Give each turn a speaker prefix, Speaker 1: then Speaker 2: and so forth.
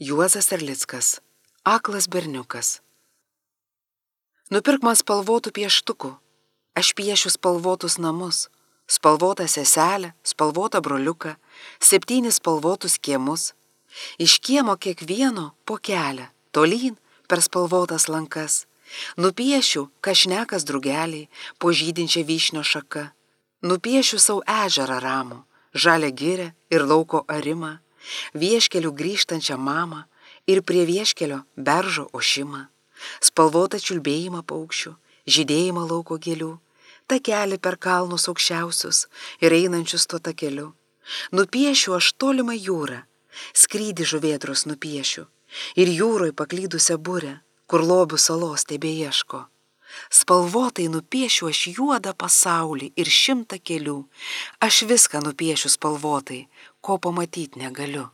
Speaker 1: Juozas Erlickas. Aklas berniukas. Nupirk man spalvotų pieštukų. Aš piešiu spalvotus namus, spalvotą seselę, spalvotą broliuką, 7 spalvotus kiemus. Iš kiemo kiekvieno po kelią, tolyn per spalvotas lankas. Nupiešiu kažnekas drugeliai, po žydinčią vyšnio šaką. Nupiešiu savo ežerą ramų, žalią girę ir lauko arimą, vieškelių grįžtančią mamą ir prie vieškelio beržo ošimą, spalvotą čiulbėjimą paukščių, žydėjimą lauko gėlių, takelį per kalnus aukščiausius ir einančius tuo takeliu. Nupiešiu aš tolimą jūrą, skrydį žuvėdros nupiešiu ir jūroj paklydusią burę, kur lobių salos tebeieško. Spalvotai nupiešiu aš juodą pasaulį ir 100 kelių, aš viską nupiešiu spalvotai, ko pamatyti negaliu.